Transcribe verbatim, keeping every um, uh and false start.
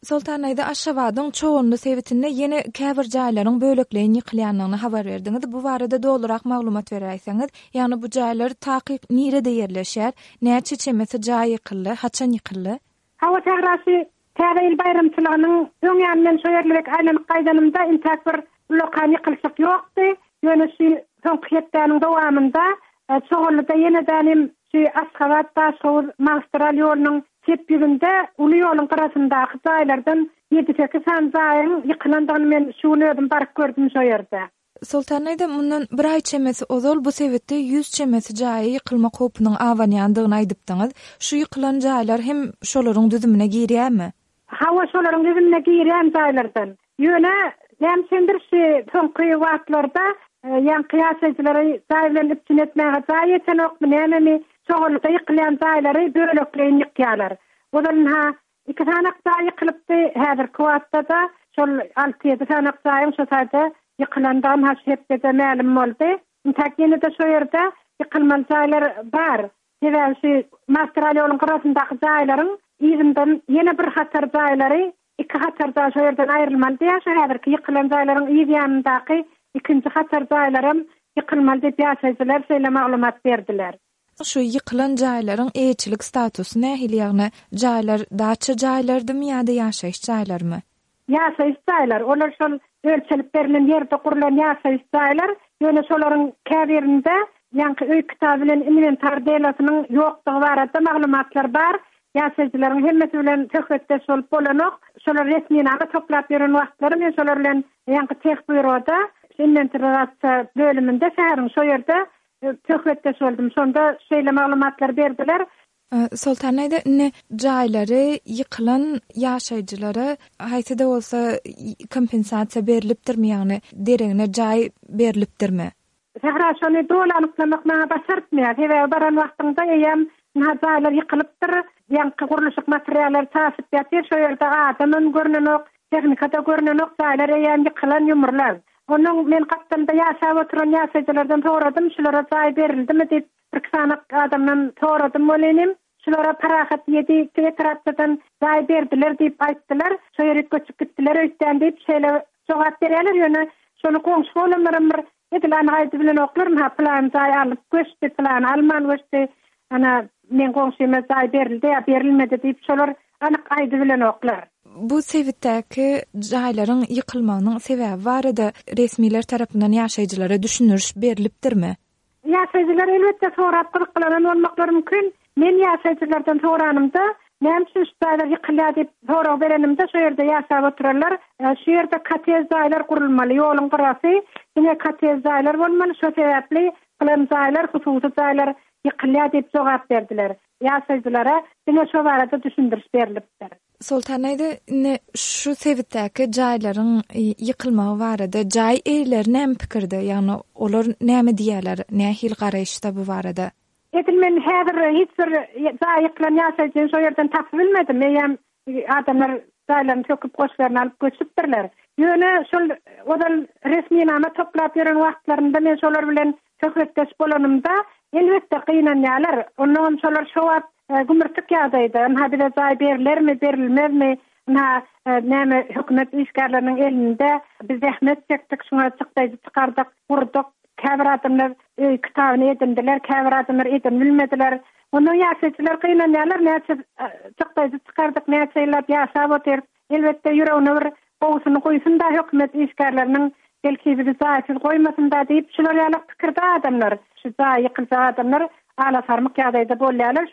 Soltan daýza, Aşgabadyň Çoganly sebitinde ýene käbir jaýlaryň bölekleýin ýykylýandygyny habar berdiňiz. Bu barada dolurak maglumat beräýseňiz. Ýagny bu jaýlar takyk nirede ýerleşýär? Näçe çemesi jaý ýykyldy? Haçan ýykyldy? Hawa, Sähra, şu Täze ýyl baýramçylygynyň öň ýanyndan şo ýerlere aýlanyp gaýdanymda intäk bir ullakan ýykylyşyk ýokdy. Ýöne şu soňky hepdäniň dowamynda Çoganlyda ýene-de şu Aşgabat Daşhowuz magistral ýolunyň çep ýüzünde uly ýoluň gyrasyndaky jaýlardan ýedi-sekiz sany jaýyň ýykylandygyny men şu gün özüm baryp gördüm şo ýerde. Soltan daýza, mundan bir aý çemesi ozal bu sebitde ýüz çemesi jaýa ýykylmak howpunyň abanýandygyny aýdypdyňyz. Şu ýykylan jaýlar hem şolaryň düzümine girýärmi? Hawa, şolaryň düzümine girýän jaýlardan. Ýöne näme üçindir şu soňky wagtlarda ýaňky ýaşaýjylary jaý bilen üpjün etmäge jaý ýetenokmy, nämemi, Çoganlyda ýykylýan jaýlary bölekleýin ýykýarlar. Ozal ha iki sanak jaý ýykylypdy, häzirki wagtda-da şol alty-ýedi sanak jaýyň şo taýda ýykylandygy ha şu hepdede mälim boldy. Intäk ýene-de şo ýerde ýykylmaly jaýlar bar. Sebäbi şu magistral ýoluň gyrasyndaky jaýlaryň yzyndan ýene bir hatar jaýlary, iki hatar jaý şo ýerden aýrylmaly diýýär. Şu häzirki ýykylan jaýlaryň yz ýanyndaky ikinji hatar jaýlaram ýykylmaly diýip ýaşaýjylar şeýle maglumat berdiler. Şu ýykylan jaýlaryň eýeçilik statusy nähili, ýagny jaýlar daça jaýlardymy ýa-da ýaşaýyş jaýlarymy? Ýaşaýyş jaýlar, olar şol ölçelip berlen ýerde gurlan ýaşaýyş jaýlar, ýöne şolaryň käbirinde ýaňky öý kitaby bilen inwentar delasynyň ýokdugy barada maglumatlar bar. Ýaşaýjylaryň hemmesi bilen söhbetdeş bolup bolanok. Şolar resminama toplap ýören wagtlary men şolar bilen ýaňky tehbüroda inwentarizasiýa bölüminde şäheriň şo ýerde söhbetdeş boldum. Şonda şeýle maglumatlar berdiler. Soltan daýza, indi jaýlary ýykylan ýaşaýjylara haýsy-da bolsa kompensasiýa berlipdirmi, ýagny deregine jaý berlipdirmi? Sähra, şony doly anyklamak maňa başartmaýar. Sebäbi baran wagtyňda eýýäm ynha jaýlar ýykylypdyr, ýaňky gurluşyk materiallary çaşyp ýatyr, şo ýerde adamam görnenok, tehnika-da görnenok, jaýlar eýýäm ýykylan, ýumrulan. Onuň men gapdalda ýaşap oturan ýaşaýjylardan soradym, şulara jaý berildimi diýip, bir iki sany adamdan soradym bolinim. Şulara Parahat ýedi etrapçadan jaý berdiler diýip aýtdylar. Şo ýere göçüp gitdiler öýtdän diýip şeýle jogap berýärler. Ýöne şony goňşy bolanlaram bir edil anyk aýdyp bilenoklar. Ha plan jaý alyp göçdi, plan alman göçdi. Ana men goňşyma jaý berildi ýa berilmedi diýip şolar anyk aýdyp bilenoklar. Bu sebitdäki jaýlaryň ýykylmagynyň sebäbi barada resmiler tarapyndan ýaşaýjylara düşündiriş berlipdirmi? Ýaşaýjylar elbetde sorap gyzyklanan bolmaklary mümkin. Men ýaşaýjylardan soranymda, näme üçin şu jaýlar ýykylýar diýip sorag berenimde şo ýerde ýaşap oturanlar, şu ýerde kotej jaýlar gurulmaly, ýoluň gyrasy diňe kotej jaýlar bolmaly, şo sebäpli plan jaýlar, hususy jaýlar ýykylýar diýip jogap berdiler. Ýaşaýjylara diňe şo barada düşündiriş berlipdir. Soltan daýza, indi şu sebitdäki jaýlaryň ýykylmagy barada jaý eýeleri näme pikirde? Ýagny olar näme diýýärler? Nähili garaýyşda bu barada? Edil men häzir hiç bir jaý ýykylan ýaşaýjyny şo ýerden tapyp bilmedim. Eýýäm adamlar jaýlaryny söküp goşlaryny alyp göçüpdirler. Ýöne şol ozal resminama toplap ýören wagtlarynda men şolar bilen söhbetdeş bolanymda elbetde gynanýarlar. Ondan şolar şo wagt gümürtik ýagdaýda, ynha bize jaý berilermi, berilmezmi, ynha näme hökümet işgärleriniň elinde biz zähmet çekdik, şuňa çykdaýjy çykardyk, gurduk. Käbir adamlar öý kitabyny edindiler, käbir adamlar edin bilmediler. Ondan ýaşaýjylar gynanýarlar, näçe çykdaýjy çykardyk, näçe ýyllap ýaşap otyr. Elbetde ýüregine bir gowusyny goýsun da hökümet işgärleriniň belki bizi jaýsyz goýmasyn da diýip şular ýaly pikirde adamlar, şu jaý ýykylsa adamlar ala sarmyk ýagdaýda bolýarlar.